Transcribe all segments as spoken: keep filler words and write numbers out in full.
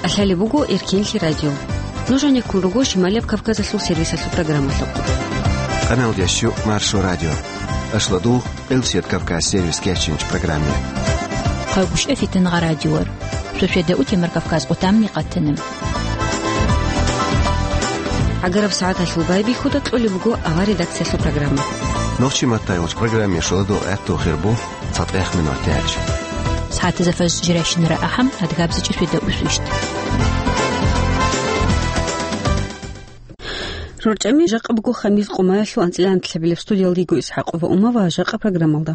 Алъали буго Эркенлъи радио. Нуж гьанеккун руго Шималияб Кавказалъул сервисалъул программалъухъ. Къаналдящу Маршо радио. Ашладу Элсият Кавказ сервис кечинч программе. Хъагушев Фитнагъа радиор. Суседа утемар Кавказ къутамни къатана. ГӀагараб сагӀаталъул байбихьуда кьолеб буго авар редакциялъул программа. Нохчи маттайгъуч программе шуладу гӀатту хирбу цатӀех минут тяч. СагӀатазда фаз жиращинара ахӀам, адгабзичӀи суседа усвищ. РорчӀами жакъа буго хамис къумаялъул анцӀила анлъабилеб. Студиялда йиго ИсхӀакъова Ума ва жакъа программалда.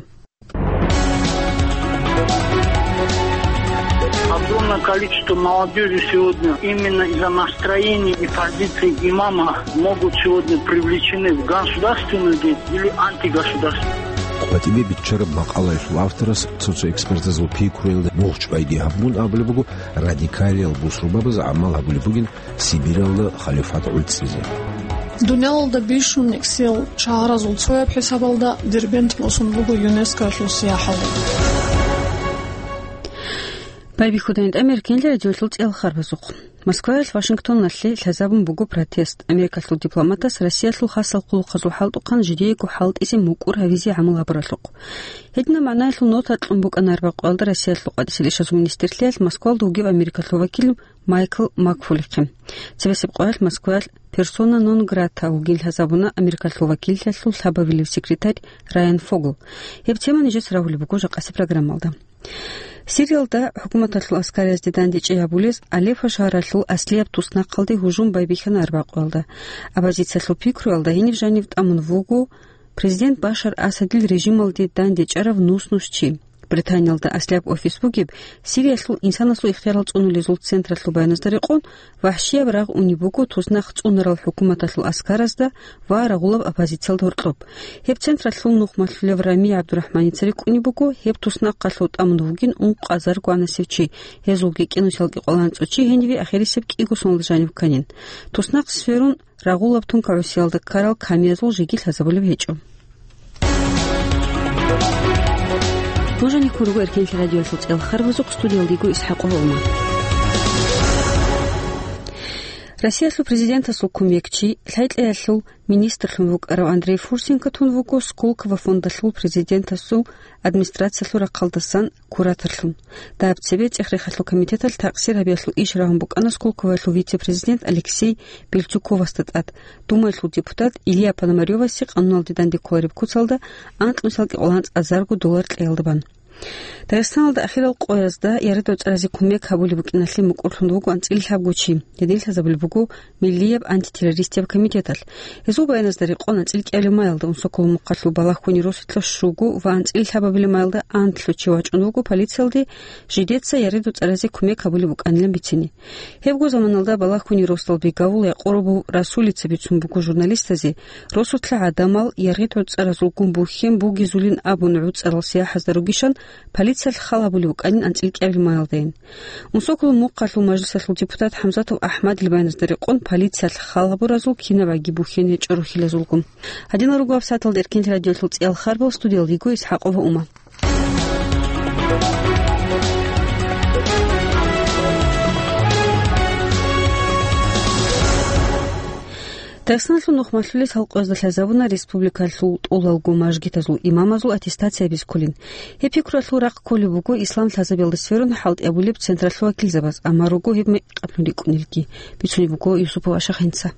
Огромное количество молодёжи сегодня именно из-за настроений и позиций имама могут сегодня привлечены в государственную деятельность или антигосударственную. КъватӀибе биччараб макъалаялъул авторас цо-цо экспертазул пикруялда мугъчӀвайги гьабун абулеб буго, радикалиял бусурбабаз гӀамал гьабулеб бугин Сибиралда халифат гӀуцӀизе. Дуниялалда бищун нексел шагьаразул цояб хӀисабалда Дербент босун буго ЮНЕСКОялъул сияхӀалде. Байбихьудайин тӀамер кинлъи радиолъул цӀел харбазухъ. Москваялъ Вашингтоналъе лъазабун буго протест. Америкалъул дипломатас Россиялъул хасал хъулухъазул хӀалтӀухъан жидеего хӀалтӀизе мукӀур гьавизе гӀамал гьабуралъухъ. Гьединаб магӀнаялъул нота кьун букӀана арбякъуялда Россиялъул къватӀисел ишазул министрлъиялъ Москвалда вугев америкалъул вакил Майкл Макфулихъе. Цебесеб къоялъ Москваялъ персона нон грата вугин лъазабуна америкалъул вакиллъиялъул лъабабилев секретарь Райан Фогл. Гьеб тема нижеца рагьулеб буго жакъасеб программалда. Сириялда хӀукуматалъул аскариязде дандечӀей гьабулез Алеппо шагьаралъул аслияб туснахъалде гьужум байбихьана арбякъуялда. Оппозициялъул пикруялда гьениб жанив тӀамун вуго президент Башар Асадил режималде дандечӀарав нус-нус чи. Британиялда аслияб офис бугеб Сириялъул инсанасул ихтиярал цӀунулезул централъул баяназда рекъон, вагьшияб рагъ унеб буго туснахъ цӀунарал хӀукуматалъул аскаразда ва рагъулаб оппозициялда гьоркьоб. Гьеб централъул нухмалъулев Рами ГӀабдурахӀманица рикӀкӀунеб буго, гьеб туснахъалъув тӀамун вугин ункъазарго анасев чи, гьезулги кӀинусиялги къоланцӀо чи гьениве ахирисеб кӀиго соналда жанив кканин. Туснахъ сверун, рагъулаб тункагӀусиялда ккарал камиязул жеги лъазабулеб гьечӀо. Нуж гьанеккун руго Эркенлъи радиоялъул цӀел харбазухъ, студиялда йиго ИсхӀакъова Ума. Россиялъул президентасул кумекчи, лъай-кьеялъул министрлъун вукӀарав Андрей Фурсенко тун вуго Сколково фондалъул президентасул администрациялъул рахъалдасан кураторлъун. Дагьаб цебе ЦӀех-рехалъул комитеталъ такъсир гьабиялъул иш рагьун букӀана Сколковоялъул вице-президент Алексей Бельцуковасда тӀад, Думаялъул депутат Илья Пономарёвасе къануналде данде кколареб куцалда анкьнусиялги къоланцӀазарго доллар кьеялда бан. Дагъистаналда ахирал къоязда яреда-вацӀцӀаразе кумек гьабулеб букӀиналъе мукӀурлъун вуго анцӀила лъабго чи. Гьедин лъазабулеб буго Миллияб антитеррористияб комитеталъ. Гьезул баяназда рекъон анцӀила кӀиабилеб маялда Унсоколо мухъалъул Балагьгьуни росулъа щуго ва анцӀила лъабабилеб маялда анлъго чи вачӀун вуго полициялде жидеца яреда-вацӀцӀаразе кумек гьабулеб букӀанилан бицине. Гьебго заманалда Балагьгьуни росдал бегавул Якъуробов Расулица бицун буго журналистазе, росулъа гӀадамал, яреда-вацӀцӀаразулгун бухьен бугезулин абун гӀуцӀарал сияхӀазда ругищан полициялъ хал гьабулеб букӀанин анцӀила кӀиабилеб маялдайин. Унсоколо мухъалъул мажлисалъул депутат ХӀамзатов АхӀмадил баяназда рекъон полициялъ хал гьабуразул кинабгӀаги бухьен гьечӀо рухьилазулгун. Гьадинал руго гьаб сагӀаталда Эркенлъи радиоялъул цӀиял харбал, студиялда йиго ИсхӀакъова Ума. Дагъистаналъул нухмалъулел халкъазда лъазабуна республикалъул тӀолалго мажгитазул имамазул аттестация бискулин. Гьеб пикруялъул рахъ кколеб буго ислам лъазабиялда сверун хӀалтӀи гьабулеб централъул вакилзабаз, амма руго гьеб мекъаб рикӀкӀунелги, бицунеб буго Юсупов Ашахъинца.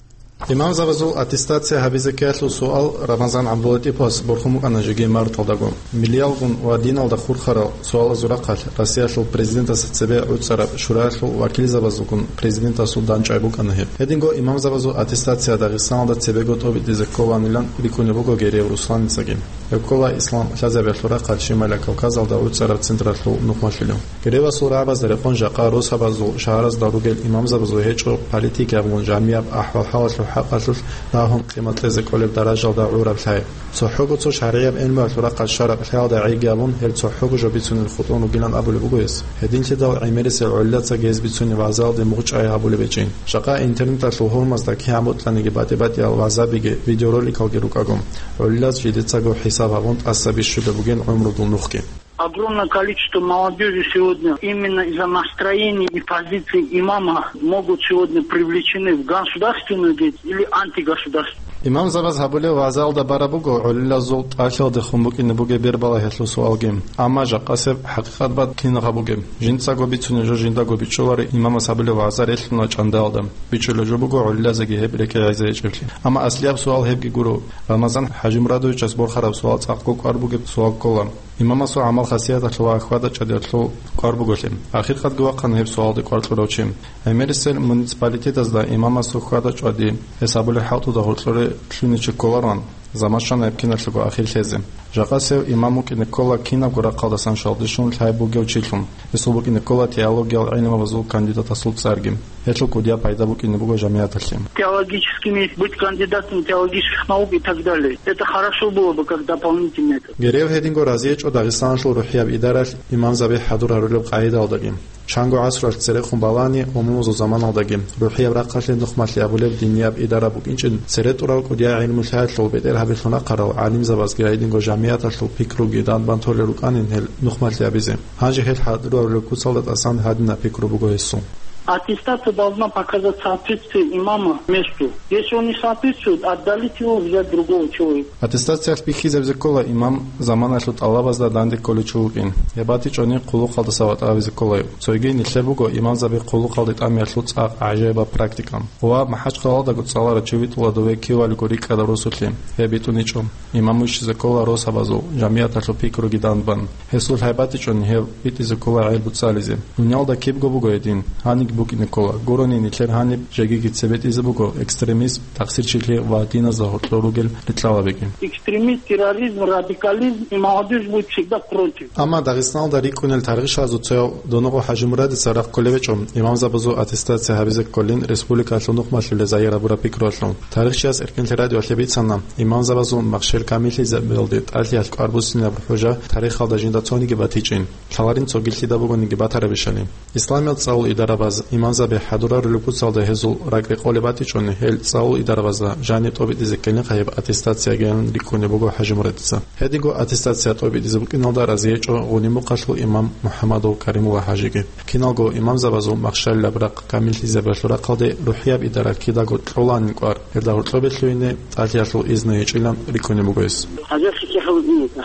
Имамзабазул аттестация гьабизе ккеялъул суал Рамазан ГӀабдулатӀиповас борхун букӀана жеги марталдаго. Миллиялгун ва диналда хурхарал суалазул рахъалъ Россиялъул президентасда цебе гӀуцӀараб шураялъул вакилзабазулгун президентасул дандчӀвай букӀана гьеб. Гьединго имамзабазул аттестация Дагъистаналда цебего тӀобитӀизе кколанилан рикӀкӀунеб буго Гереев Русланицаги. Гьеб ккола ислам лъазабиялъул рахъалъ Шималияб Кавказалда гӀуцӀараб централъул нухмалъулев. Геревасул рагӀабазда рекъон жакъа росабазул шагьаразда ругел имамзабазул гьечӀо политикиябгун жамияб ахӀвал-хӀалалъул хӀакъалъулъ рагьун къимат кьезе кӀолеб даражалда гӀураб лъай. ЦохӀого цо шаргӀияб гӀелмуялъул рахъалъ шараб лъаялда гӀейги абун, гьел цохӀого жо бицунел хутӀун ругилан абулеб буго гьес. Гьединлъидал гӀемерисел гӀолилаца гьез бицунеб вагӀзаялде мугъчӀвай гьабулеб гьечӀин. Жакъа интернеталъул гьурмазда кигӀан бокьаниги батӀи-батӀиял вагӀзабиги, видеороликалги рукӀаго, гӀолилаз жидецаго хӀисаб гьабун тӀаса бищулеб бугин гӀумрудул нухги. Огромное количество молодёжи сегодня именно из-за настроений и позиций имама могут сегодня привлечены в государственную деятельность или антигосударственную. Имамзабаз гьабулеб вагӀзалда бараб буго гӀолилазул тӀалъиялдехун букӀине бугеб бербала гьелъул суалги. Амма жакъасеб хӀакъикъат бакӀ кинаб гьабугеб? Жинцаго бицунеб жо жиндаго бичӀчӀулари имамас гьабулеб вагӀза релълъуна чӀандаялда. БичӀчӀулеб жо буго гӀолилазеги гьеб рекӀелъ гӀезегӀичӀеблъи. Амма аслияб суал гьебги гуро. Рамазан ХӀажимурадовичас борхараб суал цӀакъго кӀвар бугеб суал ккола. Имамасул гӀамал-хасияталъул ва хьвада-чӀвадиялъул кӀвар буголъи. Ахиркъадги вахъана гьеб суалде кӀвар кьурав чи. ГӀемерисел муниципалитетазда имамасул хьвада-чӀвади гьесабулеб хӀалтӀуда гьоркьоре лъугьине чи кколароан, заман щвана гьеб киналъего ахир лъезе. Жакъасев имам вукӀине ккола кинабго рахъалдасан щвалдищун лъай бугев чилъун. Гьесул букӀине ккола теологиял гӀилмабазул кандидатасул цӀарги. Гьелъул кӀудияб пайда букӀине буго жамигӀаталъе. Теологическими, быть кандидатом теологических наук и так далее. Это хорошо было бы как дополнительное. Гьерев гьединго разиечӀо Дагъистаналъул рухӀияб идаралъ имамзаби хӀадур гьарулеб къагӀидаялдаги. Чанго гӀасралъ церехун балани, умумузул заманалдаги рухӀияб рахъалъе нухмалъи абулеб динияб идара букӀинчӀин, цере тӀурал кӀудияй гӀилму-лъаялъул бетӀергьабилъун рахъарал гӀалимзабазги гьединго жамигӀаталъул пикруги данбан толел рукӀанин гьел нухмалъи абизе. Гьанже гьел хӀадур гьарулеб куцалда тӀасан гьадинаб пикру буго гьесул. Аттестация должна показать соответствие имама месту. Если он не соответствует, отдалить его, взять другого человека. Аттестациялъ бихьизабизе ккола имам заманалъул тӀалабазда данде кколев чи вукӀин. Гьеб батичӀони хъулухъалдаса ватӀа гьабизе ккола. Цойги нилъер буго имамзаби хъулухъалде тӀамиялъул цӀакъ гӀажаибаб практика. Ва МахӀачхъалалдаго цӀаларав чи витӀула дове кивалиго рикӀкӀадав росулъе. Гьеб битӀуничӀо. Имам вищизе ккола росабазул, жамигӀаталъул пикруги данбан. Гьесул гьайбатичӀони гьев битӀизе ккола гӀел буцӀцӀализе. Дуниялда кибго буго гьедин, гьаниб букӀине ккола. Гурони нилъер гьаниб жегиги цебетӀизе буго экстремизм, тахсирчилъи ва диназда гьоркьор ругел рикьалабиги. Экстремизм, терроризм, радикализм, и молодёжь будет всегда против. Амма Дагъистаналда рикӀкӀунел тарихчиясул цояв Доногъо ХӀажимурадица рагъ кколеб гьечӀо имамзабазул аттестация гьабизе кколин республикалъул нухмалъулел загьир гьабураб пикруялъул. Тарихчияс Эркенлъи радиоялъе бицана, имамзабазул махщел камиллъизабиялде тӀалъиялъ кӀвар буссинаб хӀужа тарихалда жинда цониги батичӀин, лъаларин цогилъида бугониги батарабищали. Исламиял цӀалул идарабаз имамзаби хӀадур гьарулеб куцалда гьезул ракӀ рекъолеб батичӀони, гьел цӀалул идарабазда жаниб тӀобитӀизе ккелин гьеб аттестациягиян рикӀкӀунеб буго ХӀажимурадица. Гьединго аттестация тӀобитӀизе букӀиналда разиечӀо Гъунимухъалъул имам МухӀаммадов Каримулла ХӀажиги. Киналго имамзабазул махщалилаб рахъ камиллъизабиялъул рахъалде рухӀияб идара кидаго кьоланин кӀвар, гьелда гьоркьобе лъугьине тӀалъиялъул изну гьечӀилан рикӀкӀунеб буго гьес. ХӀажихъи кехал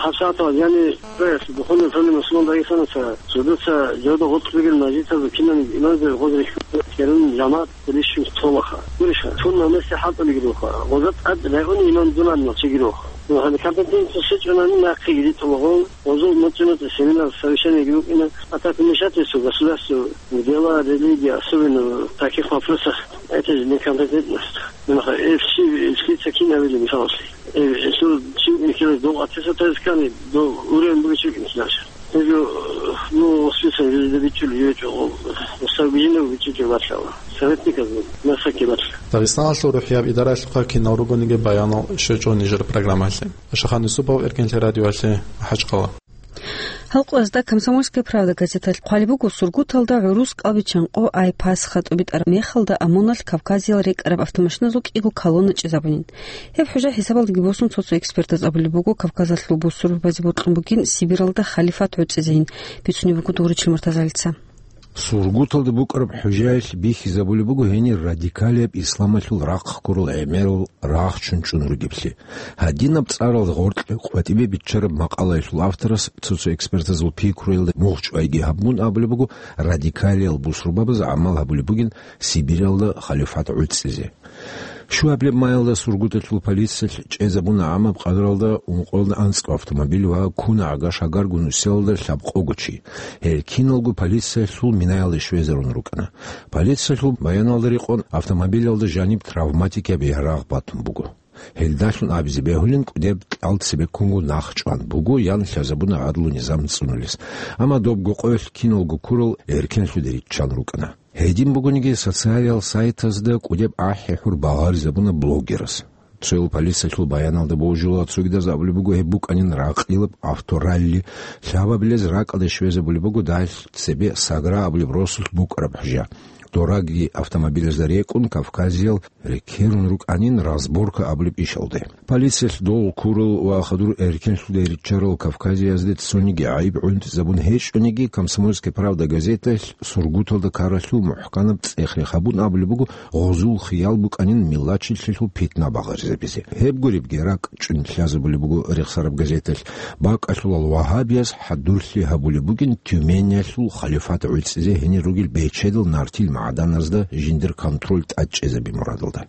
хӀасатал, яни, духунел лъугьунел мусулман Дагъистанаца, цогидаса жавда гъоркь бугел мажгитазул кинаб имамзаби гъоз рихьун, керун жамагӀат рищун толаха. Гуриша, тун намеси хӀалтӀулигируха, гъоза тӀад рагӀуни имам дунан нахчигируха. Ну, гьаниб компетенция щечӀунани нахъе гири толагъун, гъозул муцӀи-муцӀи семинар, совещание гирукӀина, а так вмешательство государства в дела религии, особенно в таких вопросах, это же некомпетентность. Ну, нахъа, э, все, все такие навели, Михаил Васильевич. Э, э, что, чу, Михаил, дол аттестация скани, дол уровень будет чуть не дальше. Гьеб жо, ну, список жо дида бичӀчӀулеб гьечӀо, гьеб сабгижилав бичӀчӀулеб батила. Советниказул масакги батила. Дагъистаналъул рухӀияб идаралъухъа кинал ругониги баянал щвечӀо нижер программалъе. Ашахан Юсупов, Эркенлъи радиоялъе, МахӀачхъала. Гьалкъуязда «Комсомольская правда» газеталъ хъвалеб буго, Сургуталда гӀурус кӀалбиччан къо Ай-Пасха тӀубитӀараб мехалда ОМОНалъ Кавказиял рекӀараб автомашиназул кӀиго колонна чӀезабунин. Гьеб хӀужа хӀисабалдаги босун, цо-цо экспертаз абулеб буго, Кавказалъул бусурбабазе бокьун бугин Сибиралда халифат гӀуцӀизейин, бицунеб буго Дугъричил Муртазалица. Сургуталда букӀараб хӀужаялъ бихьизабулеб буго гьенир радикалияб исламалъул рахъ ккурал гӀемерал рагъ чӀунчӀун ругеблъи. Гьадинаб цӀарал гъоркье къватӀибе биччараб макъалаялъул авторас цо-цо экспертазул пикруялда мугъчӀвайги гьабун абулеб буго, радикалиял бусурбабаз гӀамал гьабулеб бугин Сибиралда халифат гӀуцӀизе. Щуабилеб майалда Сургуталъул полициялъ чӀезабуна гӀамаб къадралда ункъоялда анцӀго автомобиль ва ккуна гӀага-шагарго нусиялда лъабкъого чи. Гьел киналго полициялъул минаялде щвезарун рукӀана. Полициялъул баяналда рекъон, автомобилалда жаниб травматикияб ярагъ батун буго. Гьелдалъун абизе бегьулин, кӀудеб кьал цебеккунго нах чӀван буго ян лъазабуна гӀадлу-низам цӀунулес. Амма добго къоялъ киналго ккурал эркенлъуде риччан рукӀана. Гьедин бугониги, социалиял сайтазда кӀудеб ахӀи-хӀур багъаризабуна блогерас. Цоял полициялъул баяналда божула, цогидаз абулеб буго гьеб букӀанин ракьилаб авторалли, лъабабилез ракӀалде щвезабулеб буго дагьалъ цебе Сагра абулеб росулъ букӀараб хӀужа. дораги автомобилазда рекӀун, Кавказиял рекерун рукӀанин разборка абулеб ишалде. Полициялъ дол ккурал ва хадур эркенлъуде риччарал кавказиязде цониги гӀайиб гӀунтӀизабун гьечӀониги, «Комсомольская правда» газеталъ Сургуталда ккаралъул мухӀканаб цӀех-рех гьабун абулеб буго, гъозул хиял букӀанин миллатчилъилъул питна багъаризабизе. Гьеб гуребги ракӀчӀун лъазабулеб буго рехсараб газеталъ, бакӀалъулал вагьабияз хӀадурлъи гьабулеб бугин Тюмениялъул халифат гӀуцӀизе гьенир ругел бечедал нартил магӀданазда жиндир контроль тӀадчӀезаби мурадалда.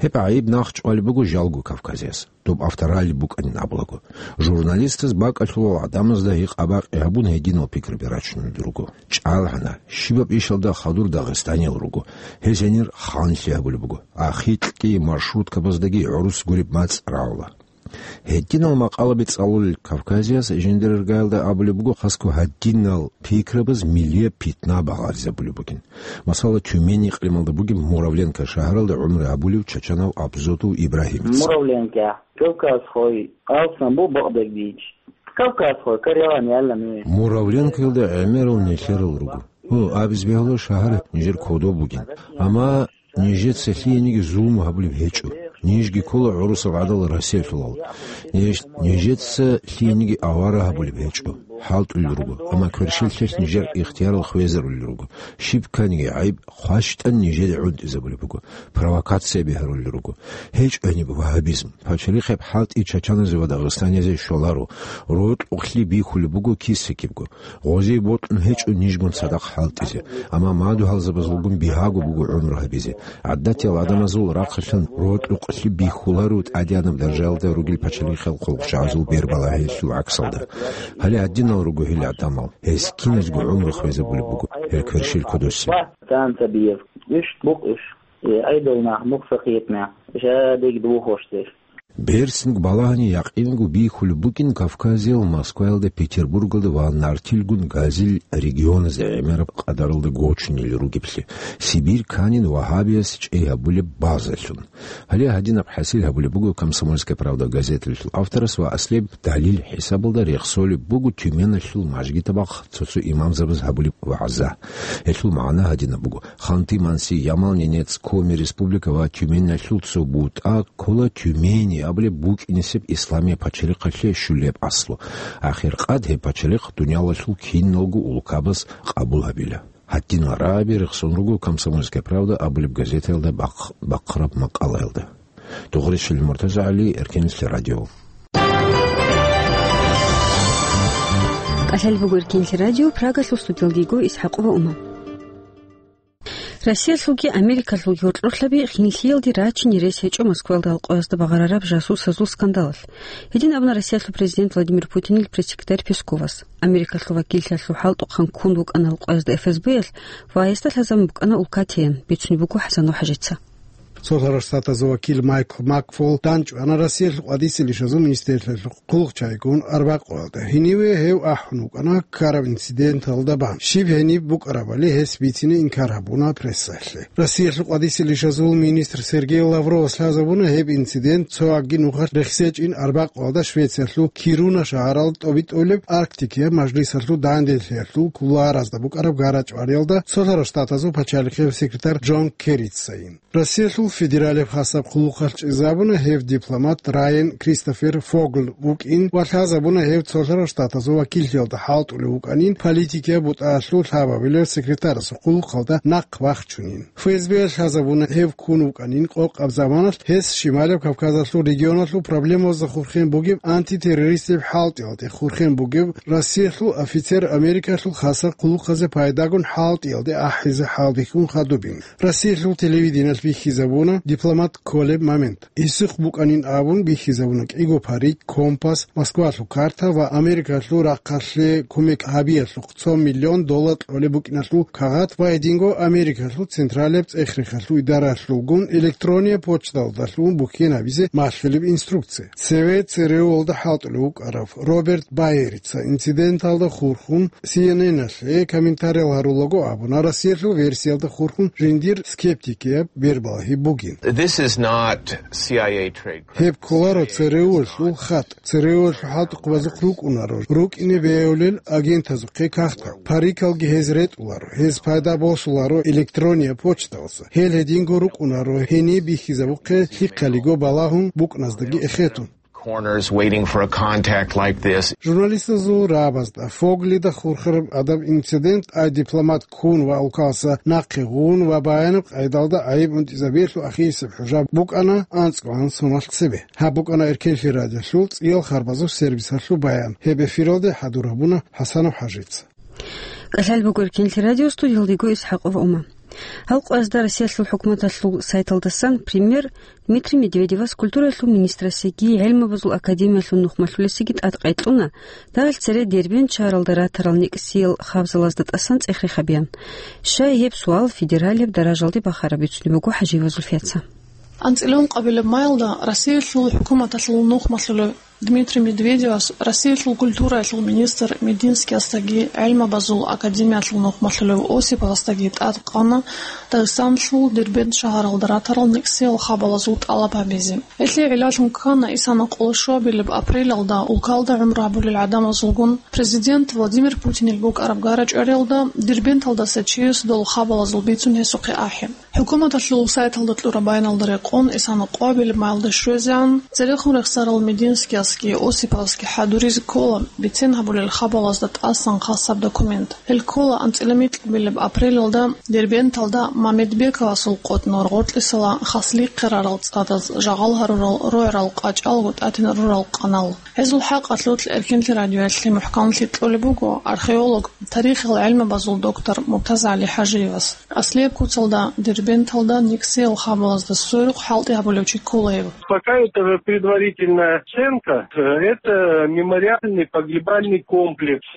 Гьеб гӀайиб нахъчӀвалеб буго жалго Кавказияс, доб авторалли букӀанин абулаго. Журналистаз бакӀалъулал гӀадамазда гьикъ-абакъи гьабун гьединал пикраби рачунел руго. ЧӀалгӀана, щибаб ишалда хадур дагъистаниял руго. Гьез гьенир ханлъи гьабулеб буго. Ахикьги маршруткабаздаги гӀурус гуреб мацӀ рагӀула. Гьединал макъалаби цӀалулел Кавказияс жиндирергаялда абулеб буго, хасго гьадинал пикрабаз миллияб питна багъаризабулеб бугин. Масала, Тюмень икълималда бугеб Муравленко шагьаралда гӀумру гьабулев чачанав Абзотов Ибрагьимица. Муравленко, кавказхой, алсан бу бакъдагбич. Кавказхой, караван ялла ми. Муравленкоялда гӀемерал нилъерал руго. Гьу, абиз бегьула шагьар нижер кодоб бугин. Амма нижеца лъиениги зулму гьабулеб гьечӀо. Нижги ккола гӀурусаб гӀадал Россиялъулал. Ниж, нижеца лъиениги авара гьабулеб гьечӀо. ХӀалтӀулел руго, амма кверщеллъилъ нижер ихтиярал хвезарулел руго. Щиб кканиги гӀайиб хващтӀан нижеде гӀунтӀизабулеб буго. Провокация бигьарулел руго. ГьечӀо гьениб вагьабизм. Пачалихъеб хӀалтӀи чачаназе ва дагъистаниязе щоларо. Рокьукълъи бихьулеб буго кисакибго. Гъозие бокьун гьечӀо нижгун цадахъ хӀалтӀизе, амма мадугьалзабазулгун бигьаго буго гӀумру гьабизе. ГӀадатиял гӀадамазул рахъалъан рокьукълъи бихьуларо тӀадеянаб даржаялда ругел пачалихъал хъулухъчагӀазул бербалагьиялъул гӀаксалда. Гьале гьадинал руго гьел гӀадамал, гьез киназго гӀумру хвезабулеб буго гьел кверщел кодосеб. Танца биев. Иш букӀ иш. Э, айдолна, мухса хиетна. Жадег духоштер. Берцинг балагьани якъинго бихьулеб букӀин Кавказиял Москваялда Петербургалда ва нартилгун газил регионазда гӀемераб къадаралда гочунел ругеблъи, Сибирь кканин вагьабияс чӀей гьабулеб базалъун. Гьале гьадинаб хӀасил гьабулеб буго «Комсомольская правда» газеталъул авторас ва аслияб далил хӀисабалда рехсолеб буго Тюменалъул мажгитабахъ цо-цо имамзабаз гьабулеб вагӀза. Гьелъул магӀна гьадинаб буго: Ханты-Манси, Ямал-Ненец, Коми Республика ва Тюменалъул цо бутӀа ккола Тюмени абулеб букӀинисеб исламияб пачалихъалъе щулеб аслу. Ахиркъад гьеб пачалихъ дуниялалъул киналго улкабаз къабул гьабила. Гьадинал рагӀаби рехсон руго «Комсомольская правда» абулеб газетаялда бахъ-, бахъараб макъалаялда. Дугъришил МуртазагӀали, Эркенлъи радио. КӀалъалеб буго Эркенлъи радио, Прагалъул студиялдего ИсхӀакъова Ума. Россиялъулги Америкалъулги гьоркьорлъаби хинлъиялде рачине рес гьечӀо Москваялда алкъоязда багъарараб жасусазул скандалалъ. Гьедин абуна Россиялъул президент Владимир Путинил пресс-секретарь Песковас. Америкалъул вакиллъиялъул хӀалтӀухъан ккун вукӀана алкъоязда ФСБ-ялъ ва гьесда лъазабун букӀана улка тейин, бицунеб буго ХӀасан ХӀажица. Цолъарал Штатазул вакил Майкл Макфол данчӀвана Россиялъул къвадисе лишазул министрлъиялъул хъулухъчагӀигун арбакъоялда. Гьениве гьев ахӀун вукӀана ккараб инциденталда бан. Щиб гьениб букӀарабали гьес бицине инкар гьабуна прессалъе. Россиялъул къвадисе лишазул министр Сергей Лавровас лъазабуна гьеб инцидент цо агги нухалъ рехсечӀин арбакъоялда Швециялъул Кируна шагьаралда тӀобитӀулеб Арктикияб мажлисалъул данделъиялъул кулуаразда букӀараб гарачӀвариялда Цолъарал Штатазул пачалихъияб секретарь Джон Керрицайин. Россиялъул федералияб хасаб хъулухъалъ чӀезабуна гьев дипломат Райан Кристофер Фогль вукӀин ва лъазабуна гьев Цолъарал Штатазул вакиллъиялда хӀалтӀулев вукӀанин политикияб бутӀаялъул лъабабилев секретарасул хъулухъалда нахъ вахчунин. ФСБ-ялъ лъазабуна гьев ккун вукӀанин къокъаб заманалъ гьес Шималияб Кавказалъул регионалъул проблемаялда хурхен бугеб антитеррористияб хӀалтӀиялде хурхен бугеб Россиялъул офицер Америкалъул хасаб хъулухъазе пайдагун хӀалтӀиялде ахӀизе хӀалбихьун хадубин. Россиялъул телевидениялъ бихьизабуна дипломат кколеб момент. Гьесухъ букӀанин абун бихьизабуна кӀиго парик, компас, Москвалъул карта ва Америкалъул рахъалъе кумек гьабиялъухъ цо миллион доллар кьолеб букӀиналъул кагъат ва гьединго Америкалъул Централияб цӀех-рехалъул идаралъулгун электронияб почталдалъун бухьен гьабизе малъулеб инструкция. Цеве ЦРУ-алда хӀалтӀулев вукӀарав Роберт Байерица инциденталда хурхун Си Эн Эн-алъе комментариял гьарулаго абуна, Россиялъул версиялда хурхун жиндир скептикияб бербалагьи бугин. This is not C I A trade credit. Гьеб кколаро ЦРУ-лъул хатӀ. ЦРУ-лъул хӀалтӀухъабазухъ рукӀунаро, рукӀине бегьулел агентазухъе кагътал, парикалги гьез ретӀуларо, гьез пайда босуларо электрония почталаса. Гьел гьединго рукӀунаро гьениб бихьизабухъе лъихъалиго балагьун букӀназдаги эхетун. Corners waiting for a contact like this. Журналистазул рагӀабазда, Фоглида хурхараб гӀадаб инцидент, ай дипломат ккун ва улкаласа нахъе гъун ва баянаб къайдалда гӀайиб унтӀизабиялъул ахирисеб хӀужа букӀана анцӀгоан соналъ цебе. Гьаб букӀана Эркенлъи радиолъул цӀиял харбазул сервисалъул баян. Гьеб эфиралде хӀадур гьабуна ХӀасанов ХӀажица. КӀалъал буго Эркенлъи радио, студиялдего ИсхӀакъов Ума. Гьал къоязда Россиялъул хӀукуматалъул сайталдасан премьер Дмитрий Медведевас, культураялъул министрасеги гӀилмабазул академиялъул нухмалъулесеги тӀадкъай кьуна, дагьал цере Дербент шагьаралда ратарал некӀсиял хабзалазда тӀасан цӀех-реха беян. Щай гьеб суал федералияб даражалде бахараб бицунеб буго ХӀажиевазул Зульфияца. АнцӀила ункъабилеб майилда Россиялъул хӀукуматалъул нухмалъулев Дмитрий Медведевас Россиялъул культураялъул министр Мединскиясдаги гӀилмабазул академиялъул нухмалъулев Осиповасдаги тӀадкъана Дагъистаналъул Дербент шагьаралда ратарал некӀсиял хабалазул тӀалаб гьабизе. Гьелъие гӀиллалъун ккана исана къоло щуабилеб апрелалда улкалда гӀумру гьабулел гӀадамазулгун президент Владимир Путинил букӀараб гара-чӀвариялда Дербенталдаса чияс дол хабалазул бицун гьесухъе ахӀи. ХӀукуматалъул сайталда кьураб баяналда рекъон, исана къоабилеб майилда щвезегӀан, церехун рехсарал Мединскиясги Осиповасги хӀадуризе ккола бицен гьабулел хабалазда тӀасан хасаб документ. Гьел ккола анцӀила микьабилеб апрелалда Дербенталда Мамедбековасул къотӀнор гъоркьисала хаслихъе рарал цӀадаз жагъал гьарурал рогӀерал къачӀалго тӀатинал рурал къанал. Гьезул хӀакъалъулъ Эркенлъи радиоялъе мухӀканлъи кьолеб буго археолог, тарихил гӀилмабазул доктор МуртазагӀали ХӀажиевас. Аслияб куцалда Дербенталда некӀсиял хабалазда сверухъ хӀалтӀи гьабулев чи ккола гьев. Пока это предварительная оценка, это мемориальный погребальный комплекс.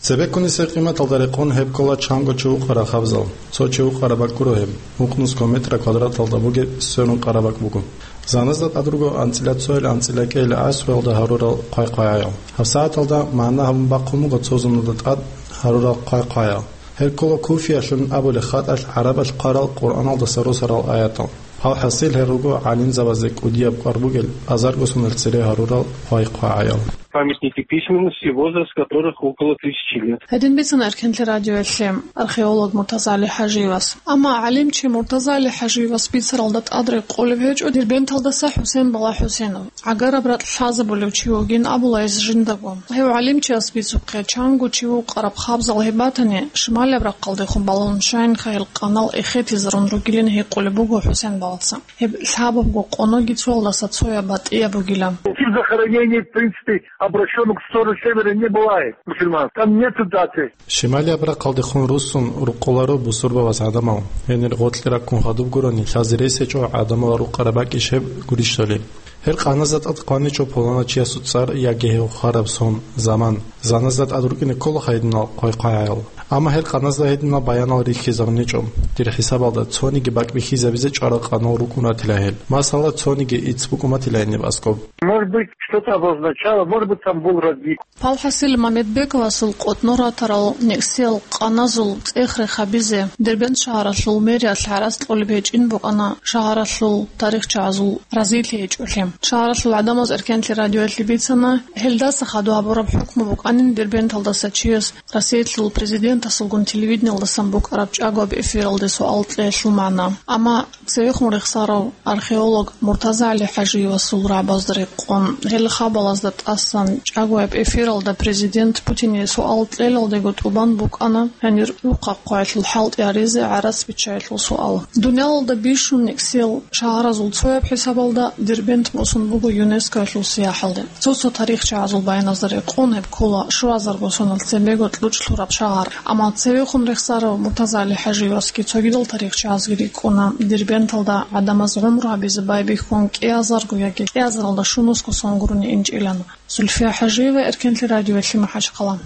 Цебеккунесеб къиматалда рекъон гьеб ккола чанго чи вукъараб хабзал. Цо чи вукъараб бакӀ гуро гьеб, вукънусго метра квадраталда бугеб сверун къараб бакӀ буго. Заназда тӀад руго анцӀила цоял анцӀила кӀел гӀасруялда гьарурал хъвай-хъвагӀаял. ГьабсагӀаталда магӀна гьабун бахъун буго цо зуналда тӀад гьарурал хъвай-хъвагӀаял. Гьел ккола Куфиялъун абулеб хатӀалъ гӀарабалъ хъварал Къуръаналдаса росарал аятал. ХӀал-хӀасил, гьел руго гӀалимзабазе кӀудияб кӀвар бугел азарго соналъ цере гьарурал хъвай-хъвагӀаял. Памятники письменности, возраст которых около тысячи лет. Гьедин бицана Эркенлъи радиоялъе археолог МуртазагӀали ХӀажиевас. Амма гӀалимчи МуртазагӀали ХӀажиевас бицаралда тӀад рекъолеб гьечӀо Дербенталдаса ХӀусен бала ХӀусенов. ГӀагараб ракь лъазабулев чи вугин абула гьес жиндаго. Гьев гӀалимчияс бицухъе, чанго чи вукъараб хабзал гьеб батани, шималияб рахъалдехун балагьун щайинха гьел къанал эхетизарун ругилин гьикъулеб буго ХӀусен балаца. Гьеб лъабабго къоноги цоялдаса цояб батӀияб бугила. Тип захоронений, в принципе, обращённых в сторону севера не бывает, мусульман. Там нету даты. Шималияб рахъалдехун руссун рукъуларо бусурбабаз гӀадамал. Гьенир гъоркье раккун хадуб гурони, лъазе рес гьечӀо гӀадамал рукъараб бакӀищ гьеб гурищали. Гьел къаназда тӀад хъваничӀо пуланав чиясул цӀар яги гьев хвараб сон, заман. Заназда тӀад рукӀине ккола гьединал хъвай-хъвагӀаял. Амма гьел къаназда гьединал баянал рихьизабуничӀо. Дир хӀисабалда, цониги бакӀ бихьизабизе чӀварал къанал рукӀун ратила гьел. Масала, цониги ицц букӀун батила гьениб аскӀоб. Может быть, что-то обозначало, может быть, там был родник. ХӀал-хӀасил, Мамедбековасул къотӀнор ратарал некӀсиял къаназул цӀех-рех гьабизе Дербент шагьаралъул мэриялъ гӀарац кьолеб гьечӀин букӀана шагьаралъул тарихчагӀазул разилъи гьечӀолъи. Шагьаралъул гӀадамаз Эркенлъи радиоялъе бицана, гьелдаса хадуб гьабураб хӀукму букӀанин Дербенталдаса чияс Россиялъул президентасулгун телевидениялдасан букӀараб чӀагояб эфиралде суал кьеялъул магӀна. Амма цевехун рехсарав археолог МуртазагӀали ХӀажиевасул рагӀабазда рекъон, гьел хабалазда тӀасан чӀагояб эфиралда президент Путине суал кьелалдего тӀубан букӀана гьанир рухъа хъваялъул хӀалтӀи гьаризе гӀарац биччаялъул суал. Дуниялалда бищун некӀсиял шагьаразул цояб хӀисабалда Дербент босун буго ЮНЕСКОялъул сияхӀалде. Цо-цо тарихчагӀазул баяназда рекъон гьеб ккола щуазарго соналъ цебего кьучӀ лъураб шагьар. Амма цевехун рехсарав МуртазагӀали ХӀажиевасги цогидал тарихчагӀазги рикӀкӀуна Дербенталда гӀадамаз гӀумру гьабизе байбихьун кӀиазарго яги кӀиазаралда щунусго сон гурони инчӀилан. Зульфия ХӀажиева, Эркенлъи радиоялъе, МахӀачхъала.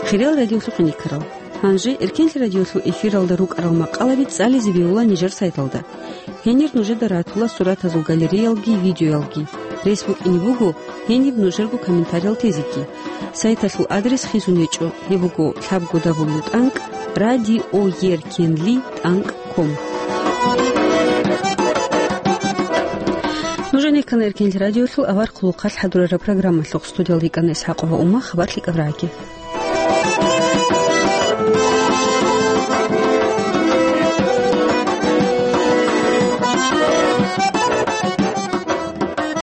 Хириял радиолъухъ иникарал. Гьанже Эркенлъи радиолъул эфиралда рукӀарал макъалаби цӀализе бегьула нижер сайталда. Гьенир нужеда ратула суратазул галереялги видеоялги. Рес букӀине буго гьениб нужерго комментариял тезеги. Сайталъул адрес хисун гьечӀо, гьеб буго лъабго дабл ю тӀанкӀ радиоеркенлитӀанкӀ ком. Нужеца ккана Эркенлъи радиолъул авар хъулухъалъ хӀадурараб программалъухъ. Студиялда йикӀана ИсхӀакъова Ума, хабар лъикӀаб раги.